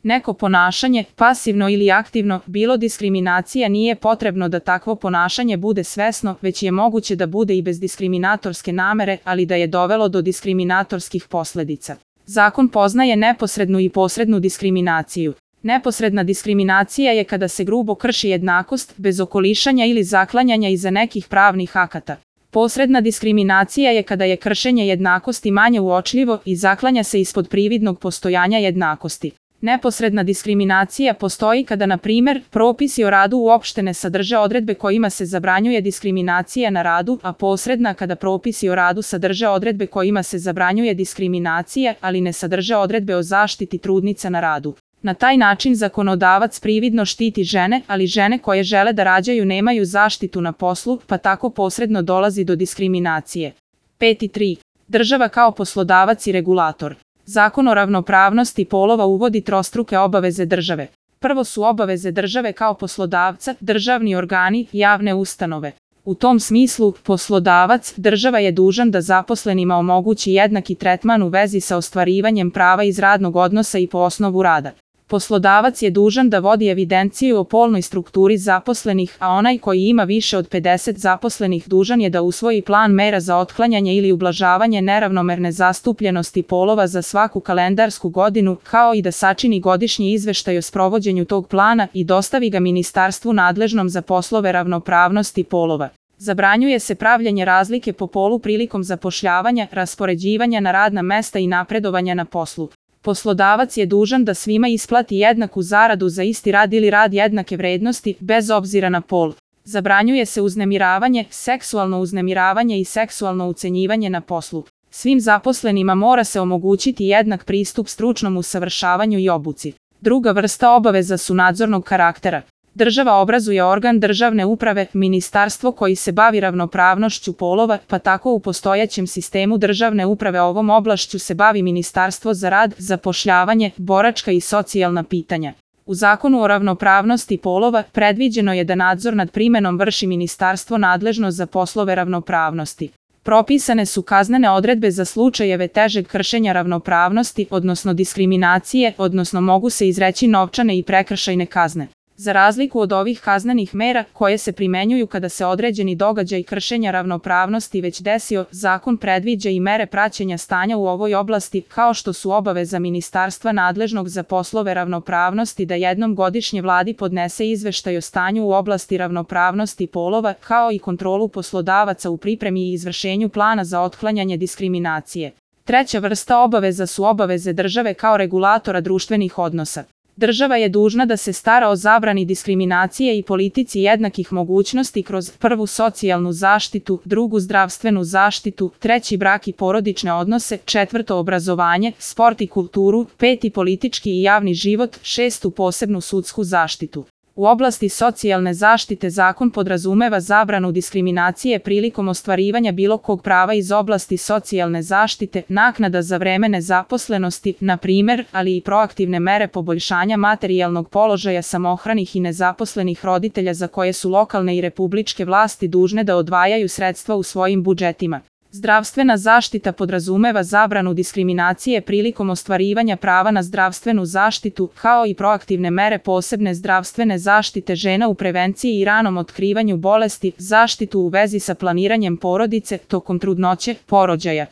Neko ponašanje, pasivno ili aktivno, bilo diskriminacija, nije potrebno da takvo ponašanje bude svesno, već je moguće da bude i bez diskriminatorske namere, ali da je dovelo do diskriminatorskih posledica. Zakon poznaje neposrednu i posrednu diskriminaciju. Neposredna diskriminacija je kada se grubo krši jednakost, bez okolišanja ili zaklanjanja iza nekih pravnih akata. Posredna diskriminacija je kada je kršenje jednakosti manje uočljivo i zaklanja se ispod prividnog postojanja jednakosti. Neposredna diskriminacija postoji kada, na primjer, propisi o radu uopšte ne sadrže odredbe kojima se zabranjuje diskriminacija na radu, a posredna kada propisi o radu sadrže odredbe kojima se zabranjuje diskriminacija, ali ne sadrže odredbe o zaštiti trudnica na radu. Na taj način zakonodavac prividno štiti žene, ali žene koje žele da rađaju nemaju zaštitu na poslu, pa tako posredno dolazi do diskriminacije. 5.3. Država kao poslodavac i regulator. Zakon o ravnopravnosti polova uvodi trostruke obaveze države. Prvo su obaveze države kao poslodavca, državni organi, javne ustanove. U tom smislu, poslodavac, država je dužan da zaposlenima omogući jednaki tretman u vezi sa ostvarivanjem prava iz radnog odnosa i po osnovu rada. Poslodavac je dužan da vodi evidenciju o polnoj strukturi zaposlenih, a onaj koji ima više od 50 zaposlenih dužan je da usvoji plan mera za otklanjanje ili ublažavanje neravnomerne zastupljenosti polova za svaku kalendarsku godinu, kao i da sačini godišnji izveštaj o sprovođenju tog plana i dostavi ga ministarstvu nadležnom za poslove ravnopravnosti polova. Zabranjuje se pravljenje razlike po polu prilikom zapošljavanja, raspoređivanja na radna mesta i napredovanja na poslu. Poslodavac je dužan da svima isplati jednaku zaradu za isti rad ili rad jednake vrednosti, bez obzira na pol. Zabranjuje se uznemiravanje, seksualno uznemiravanje i seksualno ucenjivanje na poslu. Svim zaposlenima mora se omogućiti jednak pristup stručnom usavršavanju i obuci. Druga vrsta obaveza su nadzornog karaktera. Država obrazuje organ državne uprave, ministarstvo koji se bavi ravnopravnošću polova, pa tako u postojećem sistemu državne uprave ovom oblašću se bavi Ministarstvo za rad, zapošljavanje, boračka i socijalna pitanja. U Zakonu o ravnopravnosti polova predviđeno je da nadzor nad primenom vrši ministarstvo nadležno za poslove ravnopravnosti. Propisane su kaznene odredbe za slučajeve težeg kršenja ravnopravnosti, odnosno diskriminacije, odnosno mogu se izreći novčane i prekršajne kazne. Za razliku od ovih kaznenih mera, koje se primenjuju kada se određeni događaj kršenja ravnopravnosti već desio, zakon predviđa i mere praćenja stanja u ovoj oblasti, kao što su obaveza ministarstva nadležnog za poslove ravnopravnosti da jednom godišnje vladi podnese izveštaj o stanju u oblasti ravnopravnosti polova, kao i kontrolu poslodavaca u pripremi i izvršenju plana za otklanjanje diskriminacije. Treća vrsta obaveza su obaveze države kao regulatora društvenih odnosa. Država je dužna da se stara o zabrani diskriminacije i politici jednakih mogućnosti kroz prvu socijalnu zaštitu, drugu zdravstvenu zaštitu, treći brak i porodične odnose, četvrto obrazovanje, sport i kulturu, peti politički i javni život, šestu posebnu sudsku zaštitu. U oblasti socijalne zaštite zakon podrazumeva zabranu diskriminacije prilikom ostvarivanja bilo kog prava iz oblasti socijalne zaštite, naknada za vreme nezaposlenosti, na primjer, ali i proaktivne mere poboljšanja materijalnog položaja samohranih i nezaposlenih roditelja za koje su lokalne i republičke vlasti dužne da odvajaju sredstva u svojim budžetima. Zdravstvena zaštita podrazumeva zabranu diskriminacije prilikom ostvarivanja prava na zdravstvenu zaštitu, kao i proaktivne mere posebne zdravstvene zaštite žena u prevenciji i ranom otkrivanju bolesti, zaštitu u vezi sa planiranjem porodice, tokom trudnoće, porođaja.